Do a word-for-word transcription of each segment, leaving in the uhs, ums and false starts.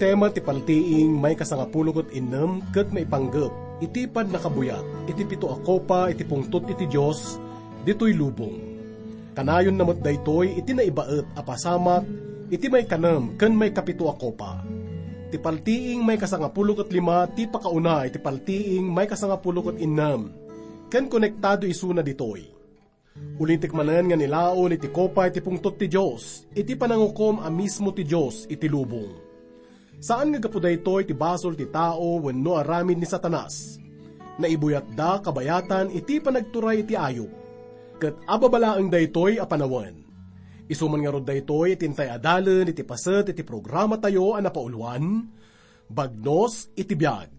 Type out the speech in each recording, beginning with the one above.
Tema ti paltiing maikasangapulo ket innem ket maipanggep iti pannakabuyat iti pito a kopa iti pungtot iti Dios ditoy lubong. Kanayonna met daytoy iti naibaet a pasamak iti maikanem ken maikapito a kopa. Ti paltiing maikasangapulo ket lima ti pakauna iti paltiing maikasangapulo ket innem, ken konektado isuna ditoy. Ulitek manen nga nilaon iti kopa iti pungtot ti Dios iti panangukom a mismo ti Dios iti lubong. Saan nga gapu daytoy ti basol ti tao wenno aramid ni Satanas. Naibuyatda kabayatan iti panagturay iti ayup. Ket ababa laeng daytoy a panawen. Isu man ngarud daytoy ti intay a dalen iti paset iti programatayo a napauluan, Bagnos iti Biag.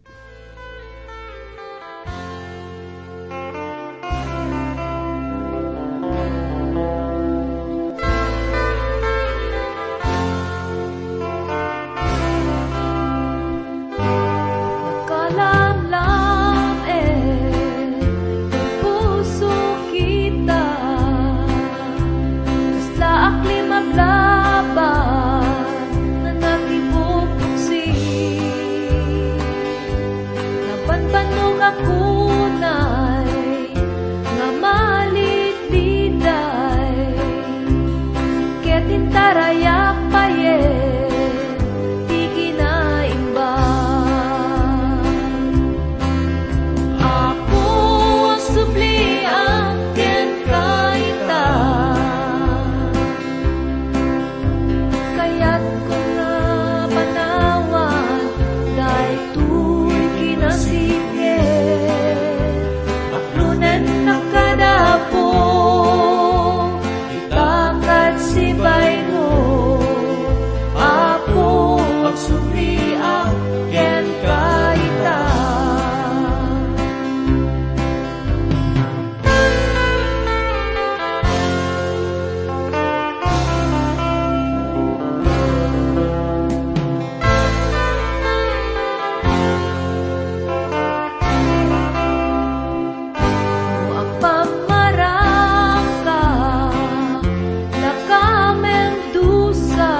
Nakalamlam-en ti puso kita, kasla aklim aglaban, nanatibubuksi. Nabanbannog a kunay nga maligliday, ket intarayak payen ti kinaimbag. Apo, agsubliak kenka ita. Kayatko nga panawan daytoy kinasipnget. Aklonennak kada Apo, ita ket sibaymo. Apo, agsubliak kenka ita. No agpammarangka, lakamen dusa,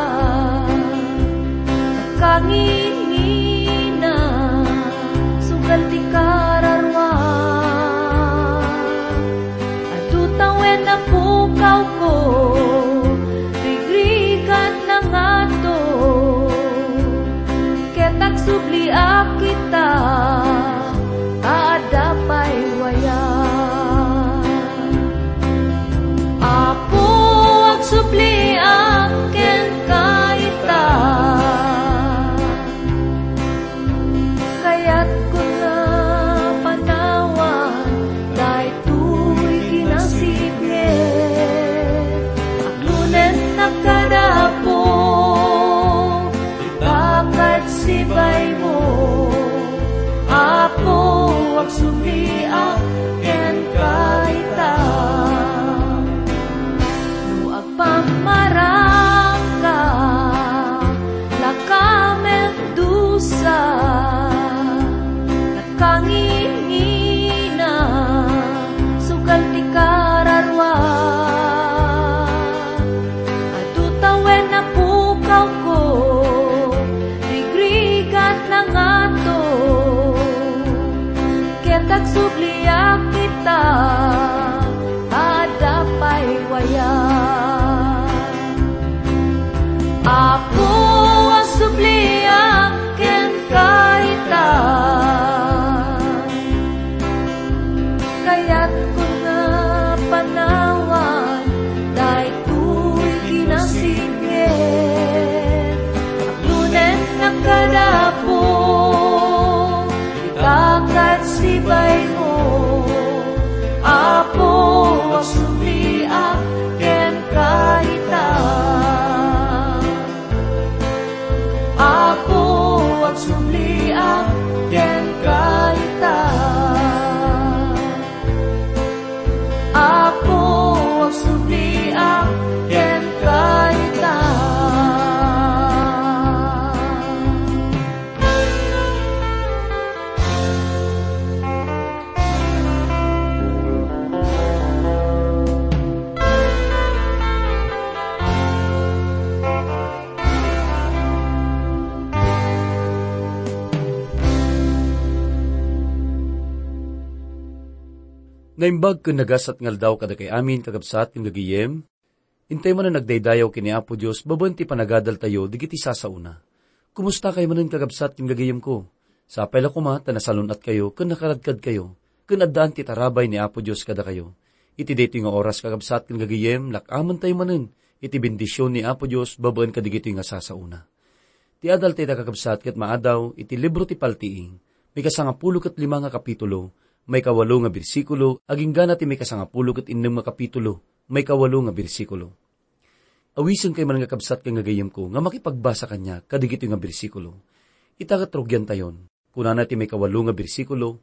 nakangingina, sugal ti kararua. Adu tawen a pukawko, rigrigat na ngato, ket agsubliak ita, ta adda pay wayag. Apo, agsubliak kenka ita. Kayatko nga panawan daytoy kinasipnget. Naimbag ken nagasat nga aldaw kadakay amin, kakabsat ken gagayem. Intay manen agdaydayaw ken ni Apo Dios babaen ti panagadaltayo dagiti sasaona. Kumusta kay manen, kakabsat ken gagayemko? Sapay la koma ta nasalun-atkayo ken nakaradkadkayo, ken addaan ti tarabay ni Apo Dios kadakayo. Iti daytoy nga oras, kakabsat ken gagayem, lak-amentayo manen iti bendision ni Apo Dios babaen kadagitoy nga sasaona. Ti adal dayta, kakabsat, ket maadaw iti libro ti Paltiing, maikasangapulo ket lima nga kapitulo, maikawalo nga bersikulo, agingga na ti maikasangapulo ket innem nga kapitulo, maikawalo nga bersikulo. Awisen kay man nga, kabsat ken gagayemko, nga makipagbasa kaniak kadagitoy nga bersikulo. Ita ket rugiantayon. Kunana ti maikawalo nga bersikulo,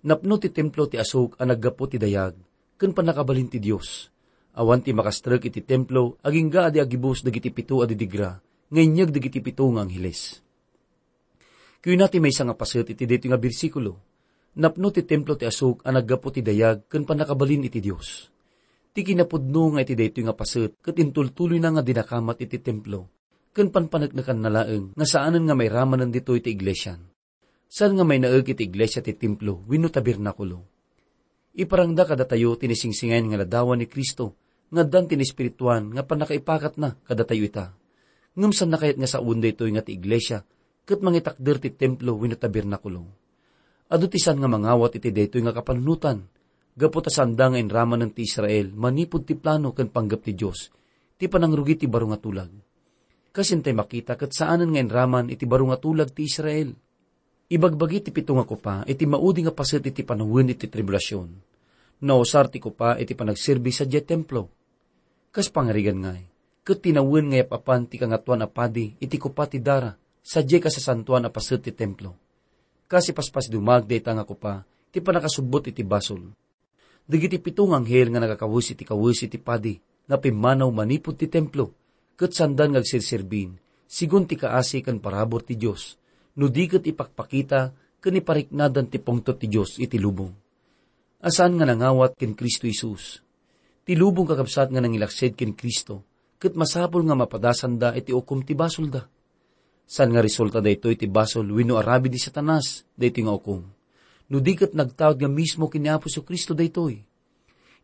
"Napno ti templo ti asuk a naggapu ti dayag ken pannakabalin ti Dios. Awan ti makastrek iti templo agingga a di agibus dagiti pito a didigra nga inyeg dagiti pito nga angheles." Kuna ti maysa nga paset iti daytoy nga bersikulo, "Napno ti templo ti asuk a naggapu ti dayag ken pannakabalin iti Dios." Ti kinapudno nga iti daytoy nga paset ket intultuloyna nga dinakamat iti templo ken panpaneknekanna laeng nga saanen nga mairamanen ditoy ti iglesian. Saan nga mainaek iti iglesia ti templo wenno tabernakulo. Iparangda kadatayo ti nasingsingir nga ladawan ni Cristo nga addan ti naespirituan nga pannakaipakatna kadatayo ita. Ngem saanna kayat nga sawen daytoy nga ti iglesia ket mangitakder ti templo wenno tabernakulo? Adu ti saan nga mangawat iti daytoy nga kapanunotan, gapu ta saanda nga inramanen ti Israel manipud ti plano ken panggep ti Dios ti panangrugi ti baro nga tulag. Kas intay makita, ket saanen nga inraman iti baro nga tulag ti Israel. Ibagbagi ti pito nga kopa iti maudi nga paset iti panawen iti tribulasion. Nausar ti kopa iti panagserbi sadiay templo. Kas pangarigan ngay, ket tinawen nga yap-apan ti Kangatoan a Padi iti kopa ti dara sadiay kasasantoan a paset ti templo. Kas ipaspasdumag dayta nga kopa ti pannakasubbot iti basol. Dagiti pito nga anghel nga nagakawes iti kawes iti padi nga pimmanaw manipud ti templo, ket saandan nga agserserbin, sigun ti kaasi ken parabur ti Dios, no di ket ipakpakita ken ipariknadan ti pungtot ti Dios iti lubong. A saan nga nangawat ken Cristo Jesus. Ti lubong, kakabsat, nga nangilaksid ken Cristo, ket masapul nga mapadasanda iti ukom ti basolda. Saan nga resulta daytoy ti basol wenno aramid ni Satanas daytoy nga ukom, no di ket nagtaud nga mismo ken ni Apo Jesu-Cristo daytoy.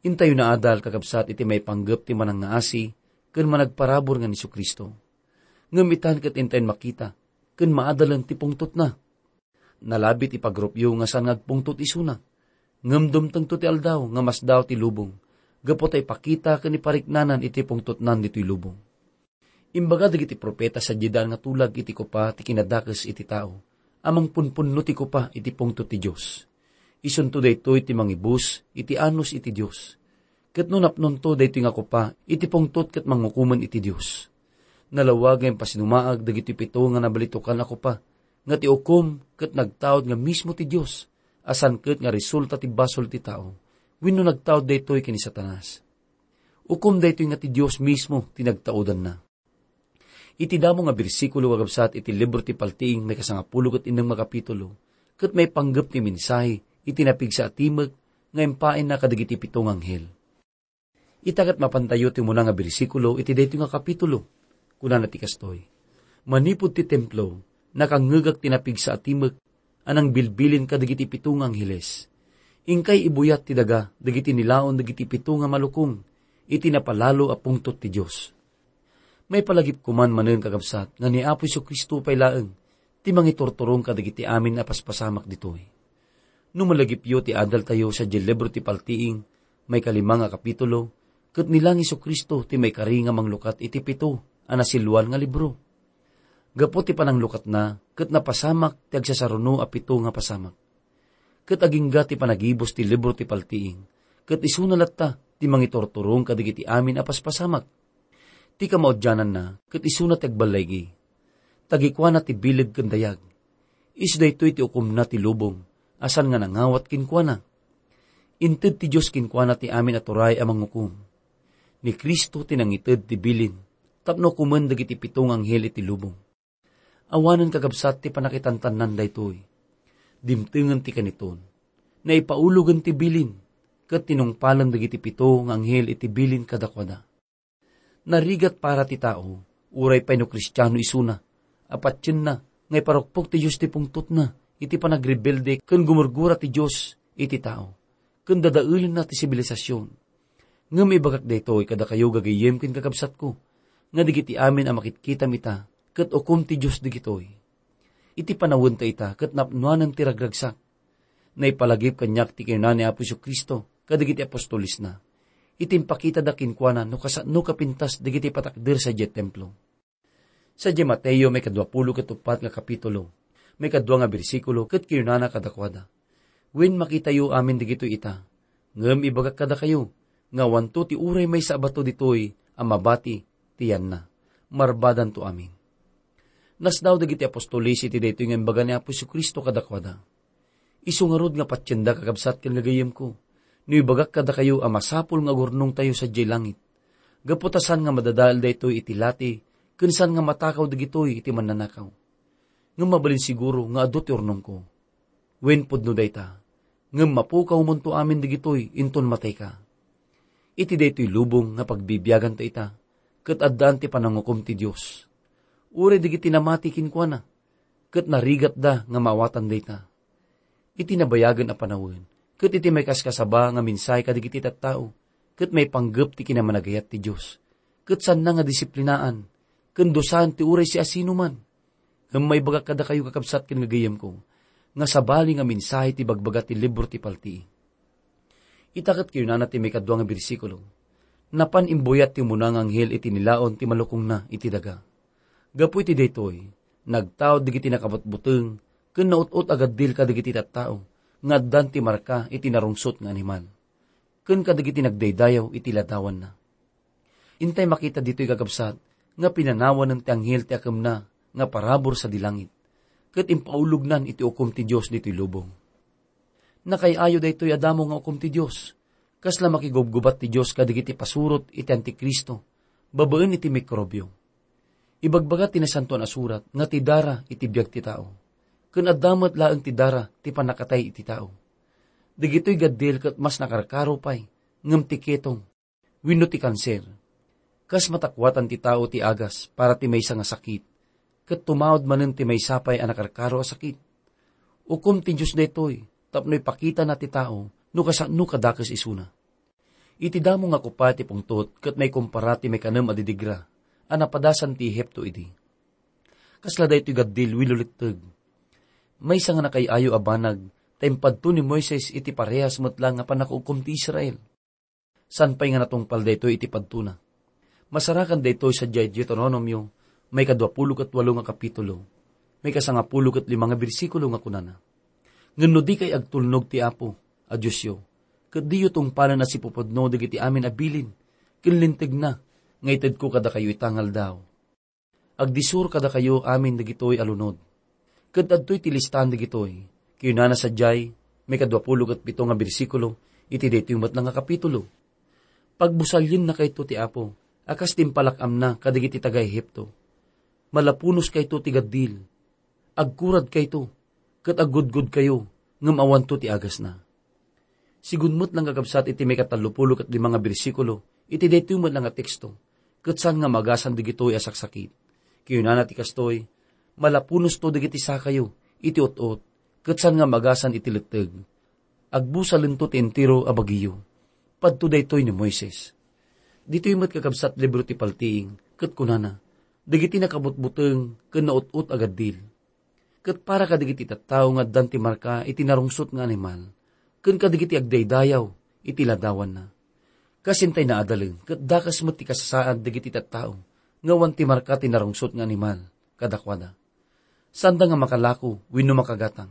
Intayo naadal, kakabsat, iti maipanggep ti manangngaasi ken managparabur nga ni Jesu-Cristo. Ngem itan ket intayon makita ken maadalen ti pungtotna. Nalabit ipagrupyo nga saan nga agpungtot isuna. Ngem dumtengto ti aldaw nga masdaaw ti lubong, gapu ta ipakita ken ipariknanan iti pungtotnan ditoy lubong. Imbaga dagiti profeta sadiay daan nga tulag iti kopa ti kinadakes iti tao, a mangpunpunno ti kopa iti pungtot ti Dios. Isunto daytoy ti mangibus iti anus iti Dios. Ket no napnonto daytoy nga kopa iti pungtot ket mangukomen iti Dios. Nalawag nga impasinumaag dagiti pito nga nabalitokan a kopa, nga ti ukom ket nagtaud nga mismo ti Dios, a saan ket nga resulta ti basol ti tao, wenno nagtaud daytoy ken ni Satanas. Ukom daytoy nga ti Dios mismo ti nagtaudanna. Iti damo nga bersikulo, kakabsat, iti libro ti Paltiing, maikasangapulo ket innem nga kapitulo, ket maipanggep ti mensahe iti napigsa a timek nga impaayna kadagiti pito nga anghel. Ita ket mapantayo ti umuna nga bersikulo iti daytoy nga kapitulo. Kunana ti kastoy, "Manipud ti templo, nakangngegak ti napigsa a timek a nangbilbilin kadagiti pito nga angheles. Inkay ibuyat ti daga dagiti nilaon dagiti pito nga malukong iti napalalo a pungtot ti Dios." Maipalagipko man manen, kakabsat, nga ni Apo Jesu-Cristo pay laeng ti mangiturturong kadagiti amin a paspasamak ditoy. No malagipyo ti adaltayo sadiay libro ti Paltiing, maikalima nga kapitulo, ket ni la ni Jesu-Cristo ti maikari nga manglukat iti pito a nasiluan nga libro. Gapu ti pananglukatna, ket napasamak ti agsasaruno a pito nga pasamak. Ket agingga ti panagibus ti libro ti Paltiing, ket isuna latta ti mangiturturong kadagiti amin a paspasamak. Ti kamaudiananna, ket isuna ti agballaigi. Tagikuana ti bileg ken dayag. Isu daytoy ti ukomna ti lubong, a saan nga nangawat kenkuana. Inted ti Dios kenkuana ti amin a turay a mangukom. Ni Cristo ti nangited ti bilin tapno ukomen dagiti pito nga anghel iti lubong. Awanen, kakabsat, ti panakitantannan daytoy. Dimtengen ti kaniton. Naipaulogen ti bilin, ket tinungpalen dagiti pito nga anghel iti bilin kadakuada. Narigat para ti tao, uray pay no Kristiano isuna, a patienna nga iparukpok ti Dios ti pungtotna iti panagrebelde ken gumurgura ti Dios iti tao. ken dadaelenna ti sibilisasyon. Ngem ibagak daytoy kadakayo, gagayyem ken kakabsatko, nga dagiti amin a makitkitam ita, ket ukom ti Dios dagitoy. Iti panawenta ita, ket napnoanen ti ragragsak. Naipalagip kaniak ti kinuna ni Apo Jesu-Cristo kadagiti apostolesna, iti impakitada kenkuana no kasano kapintas dagiti patakder sadiay templo. Sadiay Mateo, maikadua pulo ket uppat nga kapitulo, maikadua nga bersikulo, ket kinunana kadakuada, "Wen, makitayo amin dagitoy ita. Ngem ibagak kadakayo, nga awanto ti uray maysa a bato ditoy a mabati ti yanna. Marbadanto amin." Nasdaaw dagiti apostoles iti daytoy nga imbaga ni Apo Jesu-Cristo kadakuada. Isu ngarud nga patienda, kakabsat ken gagayyemko, no ibagak kadakayo a masapul nga agurnongtayo sadiay langit, gapu ta saan nga madadael daytoy iti lati, ken saan nga matakaw dagitoy iti mannanakaw. Ngem mabalin siguro nga adu ti urnongko. Wen, pudno dayta, ngem mapukawmonto amin dagitoy inton matayka. Iti daytoy lubong nga pagbibiaganta ita, ket addaan ti panangukom ti Dios. Uray dagiti namati kenkuana, ket narigatda nga maawatan dayta. Iti nabayagen a panawen, ket iti maikaskasaba nga mensahe kadagiti tattao, ket maipanggep ti kinamanagayat ti Dios, ket saanna nga disiplinaan, ken dusaen ti uray siasinoman. Ngem maibagak kadakayo, kakabsat ken gagayyemko, nga sabali nga mensahe ti bagbaga ti libro ti Paltiing. Ita ket kinunana ti maikadua nga bersikulo, "Napan imbuyat ti umuna nga anghel iti nilaon ti malukongna iti daga. Gapu iti daytoy, nagtaud dagiti nakabutbuteng ken naut-ot a gaddil kadagiti tattao nga addan ti marka iti narungsot nga animal, ken kadagiti nagdaydayaw iti ladawanna." Intay makita ditoy, kakabsat, nga pinanawanen ti anghel ti akemna nga parabur sadi langit, ket impaulognan iti ukom ti Dios ditoy lubong. Nakaay-ayo daytoy a damo nga ukom ti Dios. Kasla makigubgubat ti Dios kadagiti pasurot iti Antikristo babaen iti mikrobio. Ibagbaga ti Nasantoan a Surat nga ti dara iti biag ti tao, ken adda met laeng ti dara ti pannakatay iti tao. Dagitoy gaddil ket mas nakarkaro pay ngem ti ketong wenno ti kanser. Kas matakuatan ti tao ti agas para ti maysa nga sakit, ket tumaud manen ti maysa pay a nakarkaro a sakit. Ukom ti Dios daytoy tapno ipakitana ti tao no kasano kadakes isuna. Iti damo nga kupa ti pungtot ket maikumpara ti maikanem a didigra a napadasan ti Ehipto idi. Kasla daytoy gaddil wenno letteg. Maysa nga nakaay-ayo a banag ta impadto ni Moises iti parehas met la nga pannakaukom ti Israel. Saan pay nga natungpal daytoy iti padtona. Masarakan daytoy sadiay Deuteronomio, maikadua pulo ket walo nga kapitulo, maikasangapulo ket lima nga bersikulo nga kunana, "Ngem no dikay agtulnog ti Apo a Diosyo, ket diyo tungpalen a sipupudno dagiti amin a bilin ken lintegna nga itedko kadakayo ita nga aldaw." Agdisur kadakayo amin dagitoy a lunod. Ket adtoy ti listaan dagitoy. Kinunana sadiay, maikadua pulo ket pito nga bersikulo, iti daytoy met la nga kapitulo, "Pagbusaliennakayto ti Apo, a kas ti impalak-amna kadagiti taga-Egipto. Malapunoskayto ti gaddil. Agkuradkayto, ket aggudgudkayo, ngem awanto ti agasna." Sigun met la nga kabsat iti maikatallopulo ket lima nga bersikulo, iti daytoy met la nga teksto, ket saan nga maagasan dagitoy a saksakit. Kinunana ti kastoy, "Malapunosto dagiti sakayo iti ut-ot, ket saan nga maagasan iti letteg. Agbusalento ti entero a bagiyo." Padto daytoy ni Moises. Ditoy met, kakabsat, libro ti Paltiing, ket kunana, "Dagiti nakabutbuteng ken naut-ot a gaddil." Ket para kadagiti tattao nga addan ti marka iti narungsot nga animal, ken kadagiti agdaydayaw iti ladawanna. Kas intay naadalen, ket dakes met ti kasasaad dagiti tattao nga awan ti marka ti narungsot nga animal kadakuada. Saanda nga makalako wenno makagatang.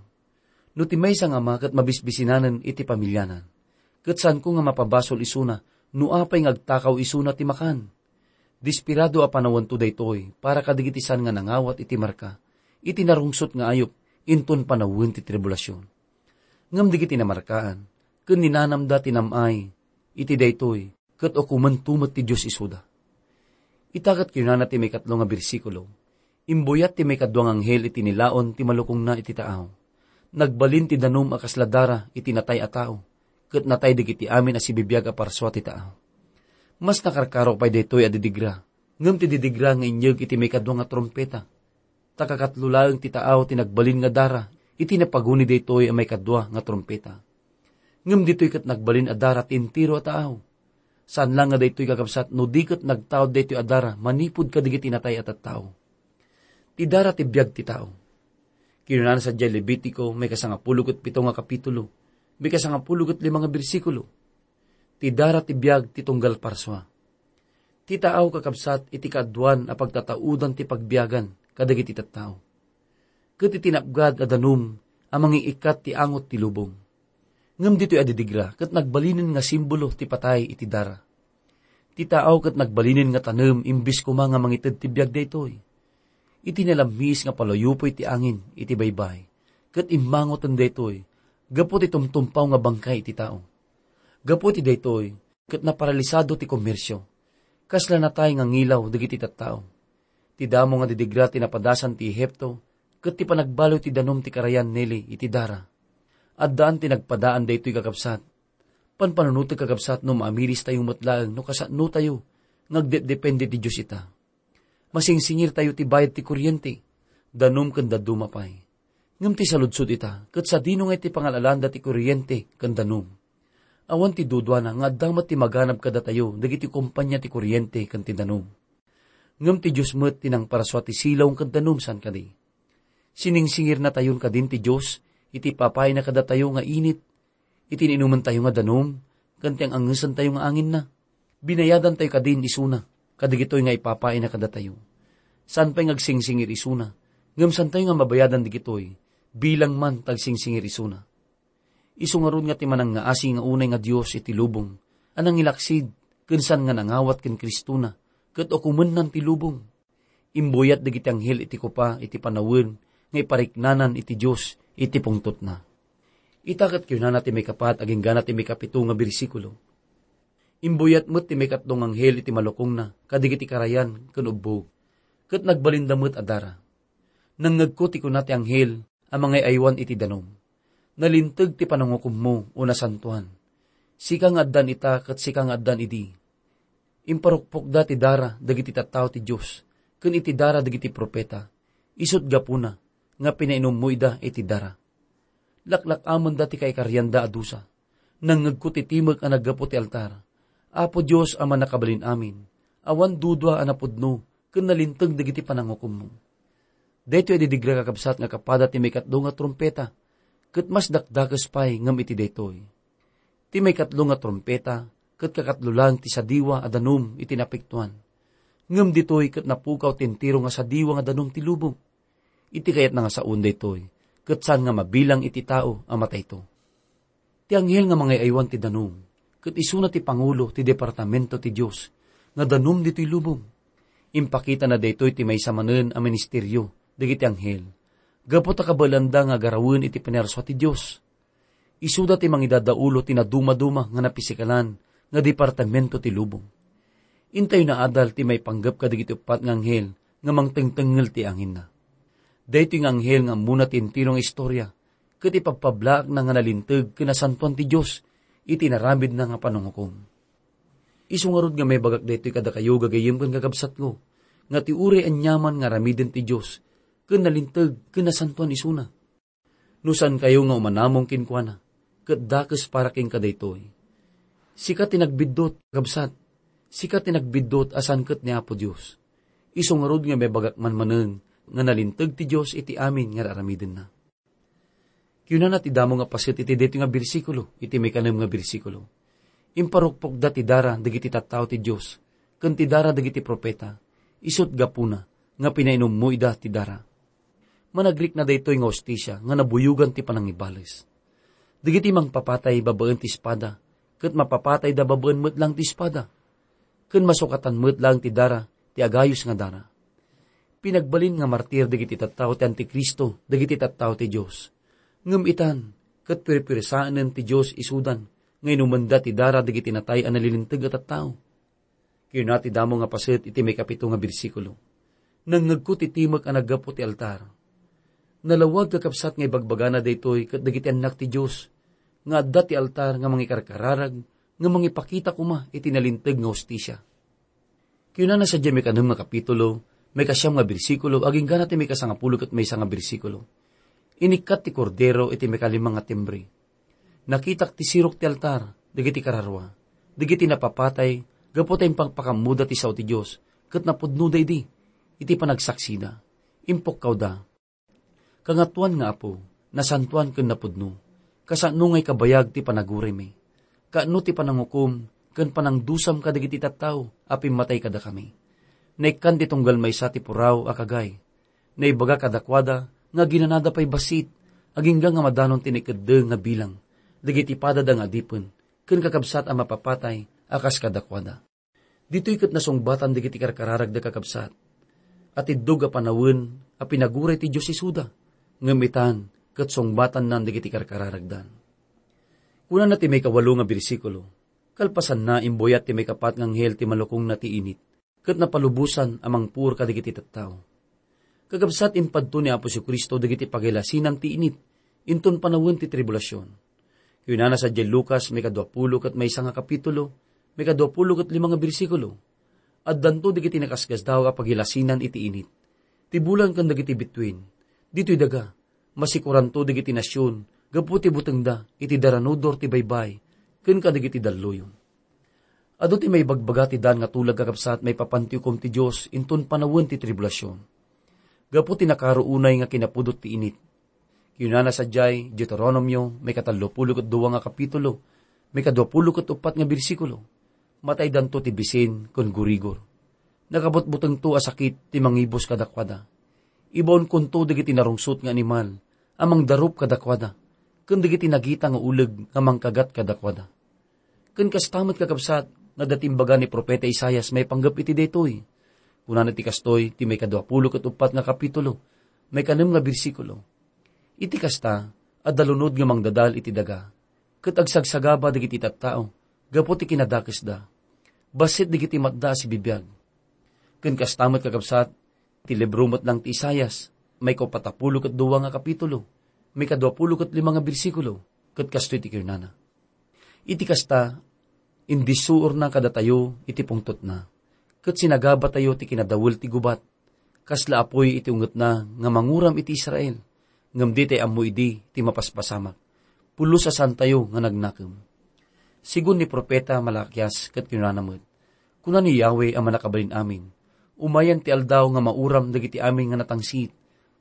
No ti maysa nga ama ket mabisbisinanen iti pamiliana, ket saanko nga mapabasol isuna no apay nga agtakaw isuna ti makan. Desperado a panawento daytoy para kadagiti saan nga nangawat iti marka iti narungsot nga ayup inton panawen ti tribulasion. Ngem dagiti namarkaan ken ninanamda ti nam-ay iti daytoy, ket ukomento met ti Dios isuda. Ita ket kinunana ti maikatlo nga bersikulo, "Imbuyat ti maikadua nga anghel iti nilaon ti malukongna iti taaw. Nagbalin ti danum a kasla dara iti natay a tao, ket natay dagiti amin a sibibiag a parsua ti taaw." Mas nakarkaro pay daytoy a didigra, ngem ti didigra nga inyeg iti maikadua nga trumpeta. Ta kakatlo laeng ti taaw ti nagbalin nga dara iti napaguni daytoy a maikadua nga trumpeta. Ngem ditoy ket nagbalin a dara ti entero a tao. Saan la nga daytoy, kakabsat, no di ket nagtaud daytoy a dara manipud kadagiti natay a tattao. Ti dara ti biag ti tao. Kinunana sadiay Levitico, maikasangapulo ket pito nga kapitulo, maikasangapulo ket lima nga bersikulo, "Ti dara ti biag ti tunggal parsua." Ti tao, kakabsat, iti kaaduan a pagtataudan ti pagbiagan kadagiti tattao, ket iti napgad a danum a mangikkat ti angot ti lubong. Ngem ditoy a didigra ket nagbalinen nga simbolo ti patay iti dara. Ti tao ket nagbalinen nga tanem imbes koma nga mangited ti biag daytoy. Iti nalammis nga palayupoy ti angin iti baybay, ket immangoten daytoy gapu ti tumtumpaw nga bangkay iti tao. Gapu iti daytoy, ket naparalisado ti komersio. Kasla natay nga ngilaw dagiti tattao. Ti damo nga didigra ti napadasan ti Ehipto, ket ti panagbaliw ti danum ti karayan Nile iti dara. Addaan ti nagpadaan daytoy, kakabsat. Panpanunotek, kakabsat, no maamiris tayo met laeng no kasano tayo nga agdepdepende ti Dios ita. Masingsingir tayo ti bayad ti kuryente, danum ken dadduma pay. Ngem ti saludsod ita, ket sadino nga iti pangal-alaanda ti kuryente ken danum? Awan ti duduana nga adda met ti maganab kadatayo dagiti kompania ti kuryente ken ti danum. Ngem ti Dios met ti nangparsua ti silaw ken danum, saan kadi? Siningsingirnatayon kadin ti Dios iti ipapaayna kadatayo nga init, iti iinumentayo nga danum, ken ti ang-angesentayo nga anginna? Binayadantayo kadin isuna kadagitoy nga ipapaayna kadatayo. Saan pay nga agsingsingir isuna, ngem saantayo nga mabayadan dagitoy, bilang man ta agsingsingir isuna. Isu ngarud nga ti manangngaasi nga unay nga Dios iti lubong a nangilaksid ken saan nga nangawat ken Kristona ket ukomennan ti lubong. Imbuyat dagiti anghel iti kopa iti panawen nga ipariknanan iti Dios iti pungtotna. Ita ket kinunana ti maikapat agingga ti maikapito nga bersikulo, "Imbuyat met ti maikatlo nga anghel iti malukongna kadagiti karayan ken ubbog, ket nagbalinda met a dara. Nangngegko ti kuna ti anghel a mangay-aywan iti danum, 'Nalinteg ti panangukommo, o nasantoan. Sika nga addan ita ket sika nga addan idi.' Imparukpokda ti dara dagiti tattao ti Dios ken iti dara dagiti profeta, isut' gapuna nga pinainummo ida iti dara. Laklak-amenda ti kaikarianda a dusa. Nangngegko ti timek a naggapu ti altar. Apo Dios a Mannakabalin-amin, awan dudua a napudno ken nalinteg dagiti panangukommo." Daytoy a didigra, kakabsat, nga kapada ti maikatlo nga trumpeta, ket mas dakdakes pay ngem iti daytoy. Ti maikatlo nga trumpeta ket kakatlo laeng ti sadiwa a danum iti napiktoan. Ngem ditoy ket napukaw ti entero nga sadiwa nga danum ti lubong. Iti kayatna nga saoen daytoy, ket saan nga mabilang iti tao a matayto. Ti anghel nga mangay-aywan ti danum, ket isuna ti pangulo ti departamento ti Dios nga danum ditoy lubong. Impakitana daytoy ti maysa manen a ministerio dagiti anghel, gapu ta kabaelanda nga agarawen iti pinarsua ti Dios. Isuda ti mangidadaulo ti nadumaduma nga napisikalan nga departamento ti lubong. Intayo naadal ti maipanggep kadagiti uppat nga anghel nga mangtengtengngel ti anginna. Daytoy nga anghel nga ammona ti entero nga istorya, ket ipabpablaakna nga nalinteg ken nasantoan ti Dios iti inaramidna nga panangukom. Isu ngarud nga maibagak daytoy kadakayo, gagayyem ken kakabsatko, nga ti uray aniaman nga aramiden ti Dios ken nalinteg ken nasantoan isuna. No saankayo nga umanamong kenkuana, ket dakes para kenka daytoy. Sika ti nagbiddut, kabsat. Sika ti nagbiddut a saan ket ni Apo Dios. Isu ngarud nga maibagak man manen nga nalinteg ti Dios iti amin nga ar-aramidenna. Kinunana ti damo nga paset iti daytoy nga bersikulo, iti maikanem nga bersikulo, "Imparukpokda ti dara dagiti tattao ti Dios, ken ti dara dagiti profeta, isut' gapuna nga pinainummo ida ti dara." Managrikna daytoy nga hustisia nga nabuyogan ti panangibales. Dagiti mangpapatay babaen ti espada, ket mapapatayda babaen met laeng ti espada, ken masukatan met laeng ti dara ti agayus nga dara. Pinagbalin nga martir dagiti tattao ti Antikristo dagiti tattao ti Dios. Ngem itan, ket pirpirsaenen ti Dios isudan nga inumenda ti dara dagiti natay a nalilinteg a tattao. Kinuna ti damo nga paset iti maikapito nga bersikulo, "Nangngegko ti timek a naggapu ti altar." Nalawag, kakabsat, nga ibagbagana daytoy ket dagiti annak ti Dios nga adda ti altar nga mangikarkararag nga mangipakita koma iti nalinteg nga hustisia. Kinunana sadiay maikanem nga kapitulo, maikasiam nga bersikulo, agingga ti maikasangapulo ket maysa nga bersikulo, "Inikkat ti Kordero iti maikalima nga timbre. Nakitak ti sirok ti altar dagiti kararua, dagiti napapatay gapu ta impakpakammoda ti sao ti Dios, ket napudnoda idi iti panagsaksida. Impukkawda, "Kangatoan nga Apo, nasantoan ken napudno, kasano nga ikabayag ti panaguraymi, kaano ti panangukom ken panangdusam kadagiti tattao a pimmatay kadakami?" Naikkan ti tunggal maysa ti puraw a kagay. Naibaga kadakuada nga aginanada pay bassit, agingga nga madanon ti naikeddeng nga bilang dagiti padada nga adipen ken kakabsat a mapapatay a kas kadakuada. Ditoy ket nasungbatan dagiti karkararagda, kakabsat, a tiddog a panawen a pinaguray ti Dios isuda, ngem itan ket sungbatannan dagiti karkararagdan. Kunana ti maikawalo nga bersikulo, "Kalpasanna, imbuyat ti maikapat nga anghel ti malukongna ti init, ket napalubosan a mangpuor kadagiti tattao." Kakabsat, impadto ni Apo Jesu-Cristo dagiti pagilasinan ti init inton panawen ti tribulasion. Kunana sadiay Lucas, maikadua pulo ket maysa nga kapitulo, maikadua pulo ket lima nga bersikulo, "Addanto dagiti nakasgasdaaw a pagilasinan iti init, ti bulan ken dagiti bituin. Ditoy daga, masikoranto dagiti nasion gapu ti butengda iti daranudor ti baybay ken kadagiti dalluyon." Adu ti maibagbaga ti daan nga tulag, kakabsat, maipapan ti ukom ti Dios inton panawen ti tribulasion, gapu ti nakaro unay nga kinapudot ti init. Kinunana sadiay Deuteronomio, maikatallo pulo ket dua nga kapitulo, maikadua pulo ket uppat nga bersikulo, "Mataydanto ti bisin ken gurigor. Nakabutbutengto a sakit ti mangibus kadakuada. Ibaonkonto dagiti narungsot nga animal a mangdarup kadakuada, ken dagiti nagita nga uleg nga mangkagat kadakuada." Ken kasta met, kakabsat, nga adda ti imbaga ni Profeta Isaias maipanggep iti daytoy. Kunana ti kastoy ti maikadua pulo ket uppat nga kapitulo, maikanem nga bersikulo, "Iti kasta, adda lunod nga mangdadal iti daga, ket agsagsagaba dagiti tattao gapu ti kinadakesda. Bassit dagiti matda a sibibiag." Ken kasta met, kakabsat, ti libro met lang ti Isaias, maikaupat a pulo ket dua nga kapitulo, maikadua pulo ket lima nga bersikulo, ket kastoy ti kinunana, "Iti kasta, indissuorna kadatayo iti pungtotna, ket sinagabatayo ti kinadawel ti gubat, kasla apuy iti ungetna nga manguram iti Israel, ngem ditay ammo idi ti mapaspasamak. Pulos a saantayo nga nagnakem." Sigun ni Profeta Malakias ket kinunana met, "Kuna ni Yahweh a Mannakabalin-amin, umayan ti aldaw nga mauram dagiti amin nga natangsit,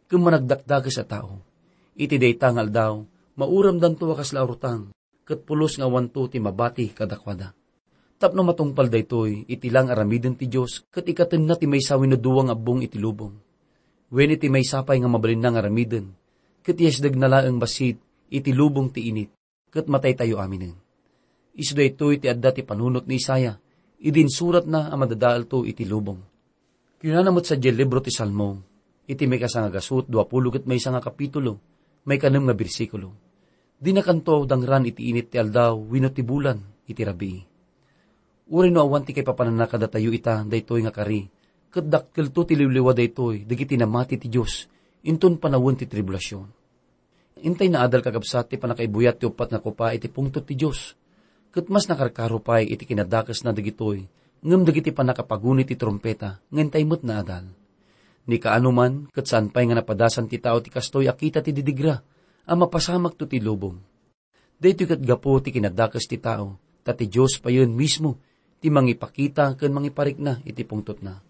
ken managdakdakes a tao. Iti dayta nga aldaw, mauramdanto a kasla urutang, ket pulos nga awanto ti mabati kadakuada." Tapno matungpal daytoy, iti la nga aramiden ti Dios ket ikatenna ti maysa wenno dua nga abbong iti lubong. Wen iti maysa pay nga mabalinna nga aramiden, ket iyasdegna laeng bassit iti lubong ti init, ket mataytayo aminen. Isu daytoy ti adda ti panunot ni Isaias idi insuratna a madadaelto iti lubong. Kinunana met sadiay libro ti Salmo, iti maikasangagasu ket dua pulo ket maysa nga kapitulo, maikanem nga bersikulo, "Dinakanto dangran iti init ti aldaw wenno ti bulan iti rabii." Uray no awan ti kaipapananna kadatayo ita daytoy nga kari, ket dakkelto ti liwliwa daytoy dagiti namati ti Dios inton panawen ti tribulasion. Intay naadal, kakabsat, ti pannakaibuyat ti uppat nga kopa iti pungtot ti Dios, ket mas nakarkaro pay iti kinadakesna dagitoy ngem dagiti pannakapaguni ti trumpeta nga intay met naadal. Ni kaano man, ket saan pay nga napadasan ti tao ti kastoy a kita ti didigra a mapasamakto ti lubong. Daytoy ket gapu ti kinadakes ti tao, ta ti Dios payen mismo ti mangipakita ken mangiparikna iti pungtotna.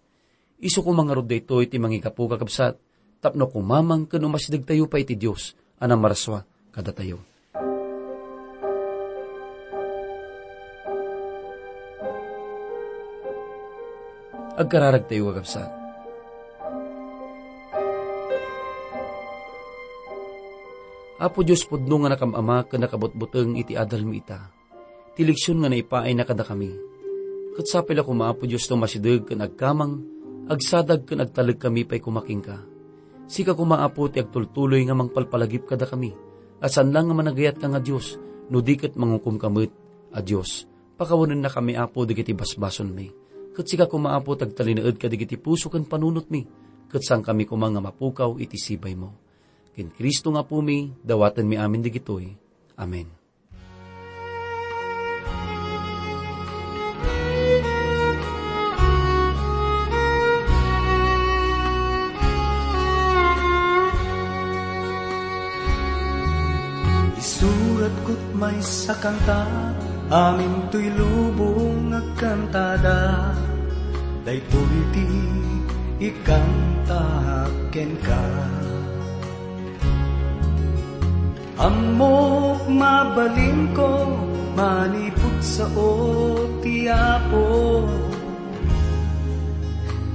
Isu koma ngarud daytoy ti mangigapu, kakabsat, tapno kumamang ken umasidegtayo pay iti Dios a nammarsua kadatayo. Agkararagtayo, kakabsat. Apo Dios, pudno nga nakam-ama ken nakabutbuteng iti adalmi ita, ti leksion nga naipaayna kadakami. Ket sapay la koma, Apo Dios, no masideg ken agkamang, agsadag ken agtalek kami pay koma kenka. Sika koma, Apo, ti agtultuloy nga mangpalpalagip kadakami, a saan la nga managayatka nga Dios, no di ket mangukomka met a Dios. Pakawanennakami, Apo, dagiti basbasolmi. Ket sika koma, Apo, ti agtalinaed kadagiti puso ken panunotmi, ket saankami koma nga mapukaw iti sibaymo. Ken Cristo nga Apomi, dawatenmi amin dagitoy. Amen. Isuratko Maysa kanta, amintoy lubong agkantada, daytoy ti ikanta kenka. Ammok mabalinko, manipud sao ti Apo,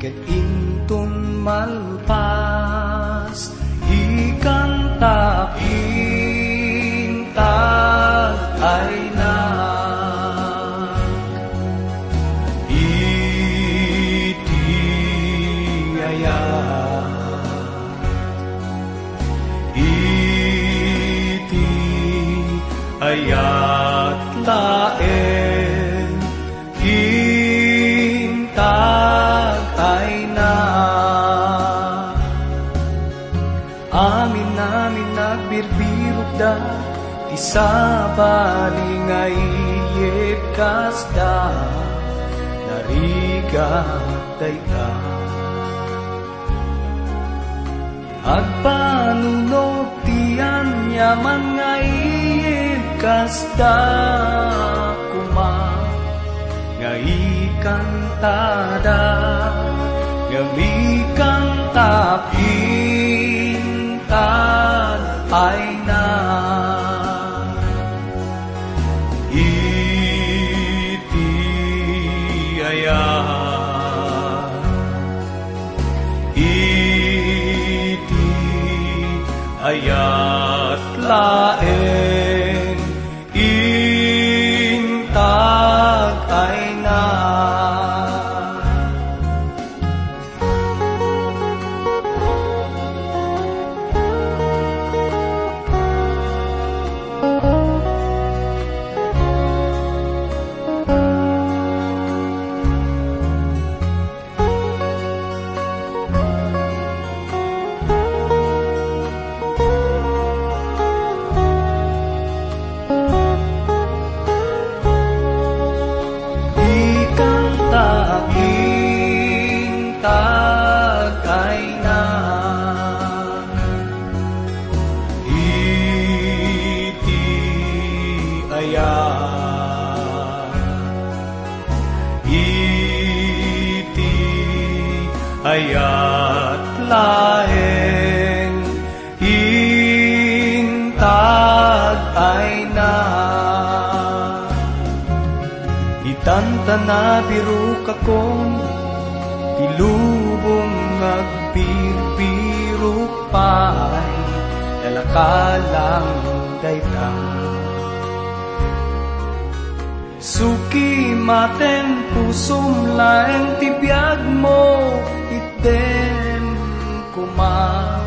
ket inton malpas, ikanta intag ayna. Iti ayat, iti ayat laeng intag ayna. Amin-amin nagbirbirokda ti sabali nga iyyeb kasda, narigat dayta. Agpanunot ti aniaman nga iyyeb kasda koma nga ikantada, ngem ikanta intag ayna. Iti ayat, iti ayat laeng intag ayna. Ikanta intag ayna. Iti ayat, iti ayat laeng intag ayna. Itan ta nabirokakon ti lubong nga agbirbirok pay, dalakalang dayta. Suki maten pusom laeng ti biagmo, itdem koma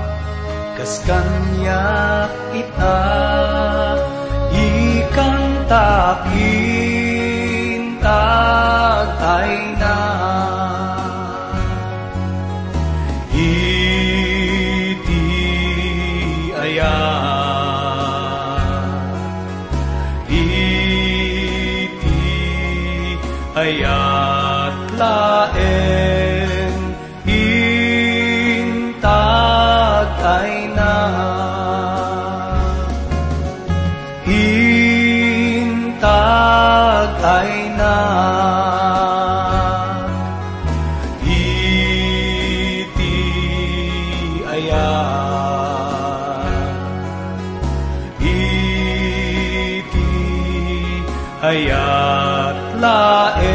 kas kaniak ita, ikanta intag ayna. Iti ayat, iti ayat laeng intag ayna. Intag ayna. Iti ayat, iti ayat laeng